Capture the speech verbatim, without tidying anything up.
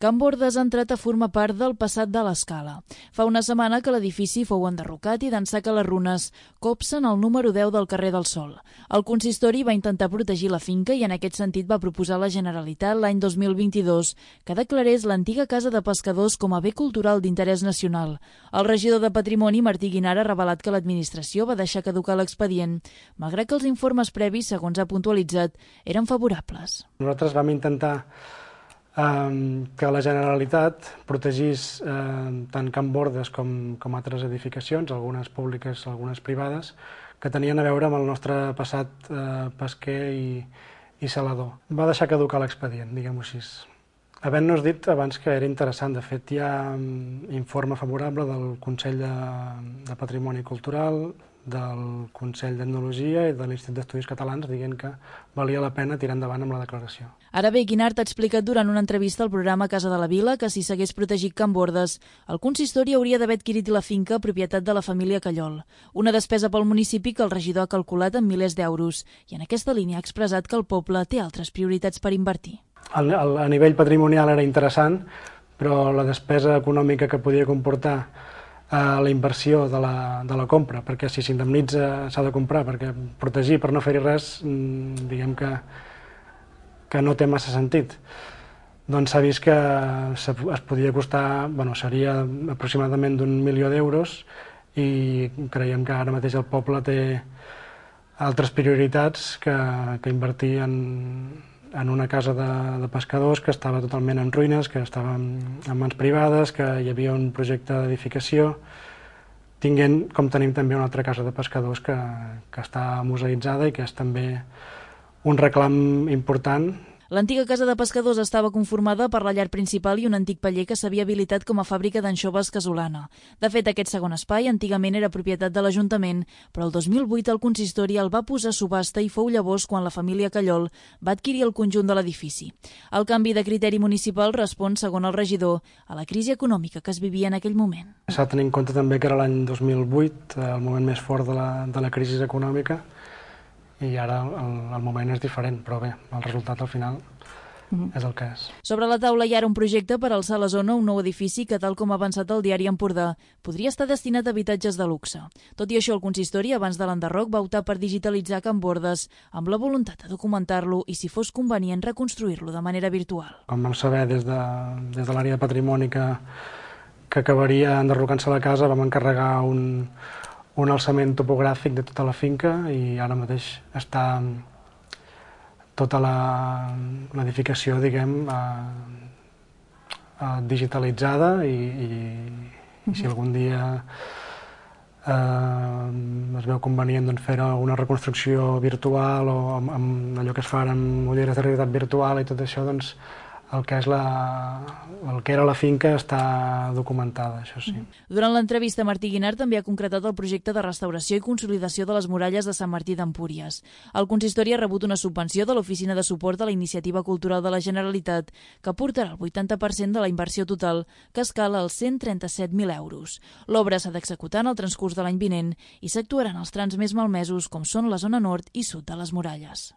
Can Bordes ha entrat a formar part del passat de l'Escala. Fa una setmana que l'edifici fou enderrocat i d'ençà que les runes copsen el número deu del carrer del Sol. El consistori va intentar protegir la finca i en aquest sentit va proposar a la Generalitat l'any dos mil vint-i-dos que declarés l'antiga casa de pescadors com a bé cultural d'interès nacional. El regidor de Patrimoni, Martí Guinar, ha revelat que l'administració va deixar caducar l'expedient, malgrat que els informes previs, segons ha puntualitzat, eren favorables. Nosaltres vam intentar que la Generalitat protegís tant Can Bordes com, com altres edificacions, algunes públiques, algunes privades, que tenien a veure amb el nostre passat eh, pesquer i, i salador. Va deixar caducar l'expedient, diguem-ho així. Havent-nos dit abans que era interessant, de fet hi ha informe favorable del Consell de, de Patrimoni Cultural, del Consell d'Etnologia i de l'Institut d'Estudis Catalans dient que valia la pena tirar endavant amb la declaració. Ara bé, Guinart ha explicat durant una entrevista al programa Casa de la Vila que si s'hagués protegit Can Bordes, el consistori hauria d'haver adquirit la finca propietat de la família Callol, una despesa pel municipi que el regidor ha calculat en milers d'euros i en aquesta línia ha expressat que el poble té altres prioritats per invertir. A nivell patrimonial era interessant, però la despesa econòmica que podia comportar la inversió de la, de la compra, perquè si s'indemnitza s'ha de comprar, perquè protegir per no fer-hi res, diguem que, que no té massa sentit. Doncs s'ha vist que es podia costar, bueno, seria aproximadament d'un milió d'euros i creiem que ara mateix el poble té altres prioritats que, que invertir en, en una casa de, de pescadors que estava totalment en ruïnes, que estava en mans privades, que hi havia un projecte d'edificació, tinguent, com tenim també una altra casa de pescadors que, que està museïtzada i que és també un reclam important. L'antiga casa de pescadors estava conformada per la llar principal i un antic paller que s'havia habilitat com a fàbrica d'anxoves casolana. De fet, aquest segon espai antigament era propietat de l'Ajuntament, però el dos mil vuit el consistori el va posar a subhasta i fou llavors quan la família Callol va adquirir el conjunt de l'edifici. El canvi de criteri municipal respon, segons el regidor, a la crisi econòmica que es vivia en aquell moment. S'ha de tenir en compte també que era l'any dos mil vuit, el moment més fort de la, de la crisi econòmica, i ara el, el moment és diferent, però bé, el resultat al final mm-hmm. és el que és. Sobre la taula hi ha un projecte per alçar a la zona un nou edifici que, tal com ha avançat el diari Empordà, podria estar destinat a habitatges de luxe. Tot i això, el consistori, abans de l'enderroc, va optar per digitalitzar Can Bordes amb la voluntat de documentar-lo i, si fos convenient, reconstruir-lo de manera virtual. Com vam saber des de, des de l'àrea de patrimoni que, que acabaria enderrocant-se la casa, vam encarregar un un alçament topogràfic de tota la finca i ara mateix està tota l'edificació, diguem, eh, eh, digitalitzada i, i, i si algun dia eh, es veu convenient doncs, fer una reconstrucció virtual o amb, amb allò que es fa amb ulleres de realitat virtual i tot això, doncs el que és la, el que era la finca està documentada, això sí. Durant l'entrevista, Martí Guinar també ha concretat el projecte de restauració i consolidació de les muralles de Sant Martí d'Empúries. El consistori ha rebut una subvenció de l'Oficina de Suport a la Iniciativa Cultural de la Generalitat que aportarà el vuitanta per cent de la inversió total, que escala als cent trenta-set mil euros. L'obra s'ha d'executar en el transcurs de l'any vinent i s'actuaran els trams més malmesos com són la zona nord i sud de les muralles.